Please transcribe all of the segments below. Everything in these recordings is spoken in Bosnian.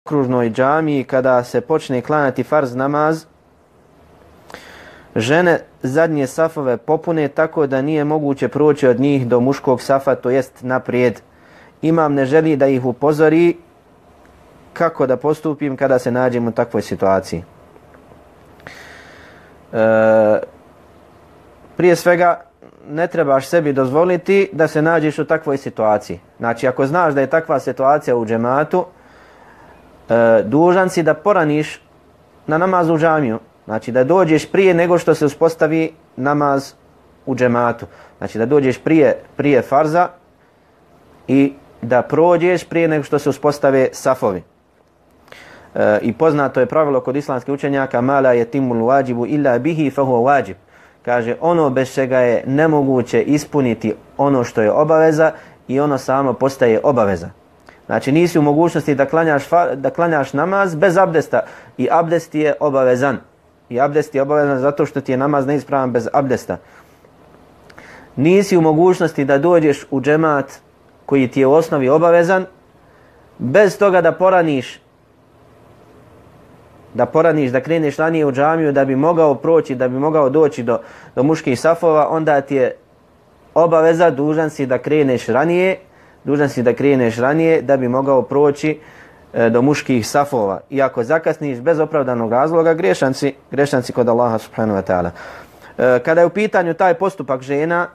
okružnoj džamiji kada se počne klanjati farz namaz, žene zadnje safove popune tako da nije moguće proći od njih do muškog safa, to jest naprijed. Imam ne želi da ih upozori kako da postupim kada se nađem u takvoj situaciji. Prije svega, ne trebaš sebi dozvoliti da se nađeš u takvoj situaciji. Znači, ako znaš da je takva situacija u džematu, dužan si da poraniš na namaz u džamiju. Znači, da dođeš prije nego što se uspostavi namaz u džematu. Znači, da dođeš prije farza i da prođeš prije nego što se uspostave safovi. I poznato je pravilo kod islamskih učenjaka mala yatimul wajibu illa bihi fa huwa wajib. Kaže, ono bez čega je nemoguće ispuniti ono što je obaveza i ono samo postaje obaveza. Znači, nisi u mogućnosti da klanjaš namaz bez abdesta i abdest je obavezan. I abdest je obavezan zato što ti je namaz neispravan bez abdesta. Nisi u mogućnosti da dođeš u džemat koji ti je u osnovi obavezan bez toga da poraniš, da kreneš ranije u džamiju da bi mogao proći, da bi mogao doći do muških safova, onda ti je obaveza, dužan si da kreneš ranije da bi mogao proći do muških safova. I ako zakasniš bez opravdanog razloga, grešan si kod Allaha subhanahu wa ta'ala. Kada je u pitanju taj postupak žena,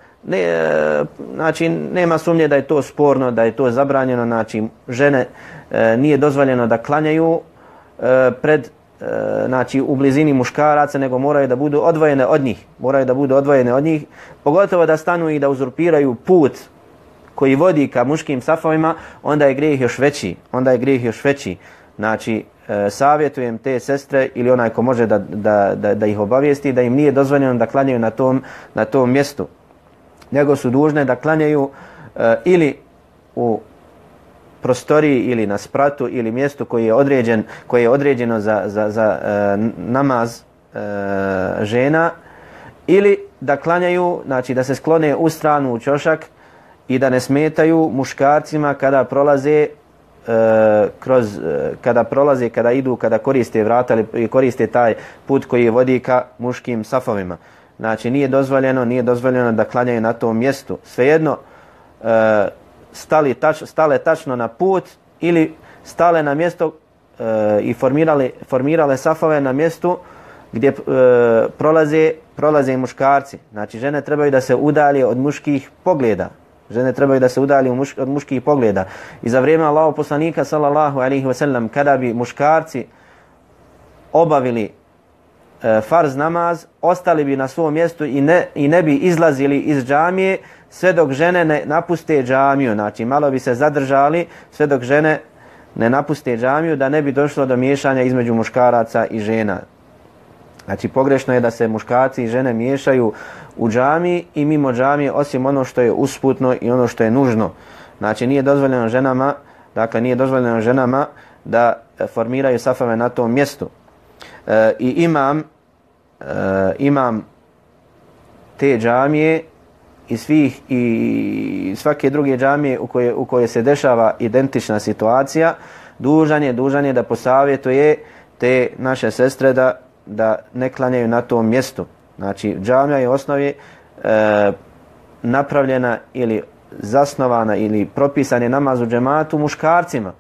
znači nema sumnje da je to sporno, da je to zabranjeno. Znači, žene nije dozvoljeno da klanjaju znači u blizini muškaraca, nego moraju da budu odvojene od njih. Pogotovo da stanu i da uzurpiraju put koji vodi ka muškim safovima, onda je grijeh još veći. Znači, savjetujem te sestre ili onaj ko može da ih obavijesti da im nije dozvoljeno da klanjaju na tom mjestu, nego su dužne da klanjaju ili u prostoriji ili na spratu ili mjestu koje je određeno za namaz žena, ili da klanjaju, znači da se sklone u stranu u ćošak i da ne smetaju muškarcima kada koriste vrata ili koriste taj put koji vodi ka muškim safovima. Znači, nije dozvoljeno da klanjaju na tom mjestu. Svejedno, stale tačno na put ili stale na mjesto i formirale safove na mjestu gdje prolaze muškarci. Znači, žene trebaju da se udalje od muških pogleda. I za vrijeme Allahov poslanika sallallahu alejhi ve sellem, kada bi muškarci obavili farz namaz, ostali bi na svom mjestu i ne bi izlazili iz džamije sve dok žene ne napuste džamiju. Znači, malo bi se zadržali sve dok žene ne napuste džamiju, da ne bi došlo do miješanja između muškaraca i žena. Znači, pogrešno je da se muškarci i žene miješaju u džamiji i mimo džamije, osim ono što je usputno i ono što je nužno. Znači, nije dozvoljeno ženama da formiraju safove na tom mjestu. I imam te džamije i svake druge džamije u kojoj se dešava identična situacija, dužan je da posavjetuje te naše sestre da ne klanjaju na tom mjestu. Znači, džamija je u osnovi napravljena ili zasnovana ili propisan je namaz u džematu muškarcima.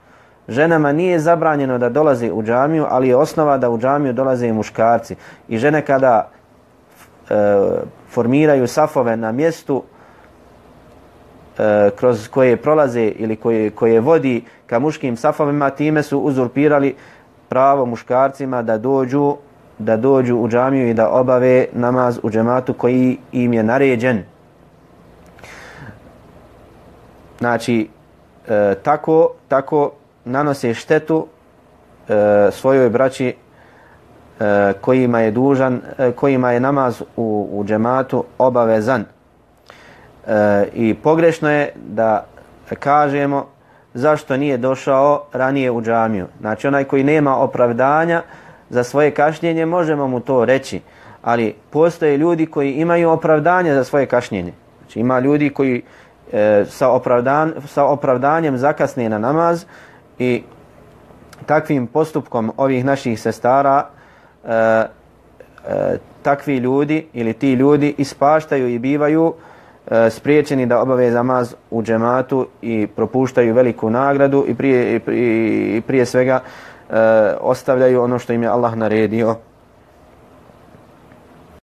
Ženama nije zabranjeno da dolaze u džamiju, ali je osnova da u džamiju dolaze i muškarci. I žene kada formiraju safove na mjestu kroz koje prolaze ili koje vodi ka muškim safovima, time su uzurpirali pravo muškarcima da dođu u džamiju i da obave namaz u džematu koji im je naređen. Znači, tako nanose štetu svojoj braći kojima je namaz u džematu obavezan. I pogrešno je da kažemo zašto nije došao ranije u džamiju. Znači, onaj koji nema opravdanja za svoje kašnjenje, možemo mu to reći, ali postoje ljudi koji imaju opravdanje za svoje kašnjenje. Znači, ima ljudi koji sa opravdanjem zakasne na namaz i takvim postupkom ovih naših sestara takvi ljudi ili ti ljudi ispaštaju i bivaju spriječeni da obave namaz u džematu i propuštaju veliku nagradu i prije svega ostavljaju ono što im je Allah naredio.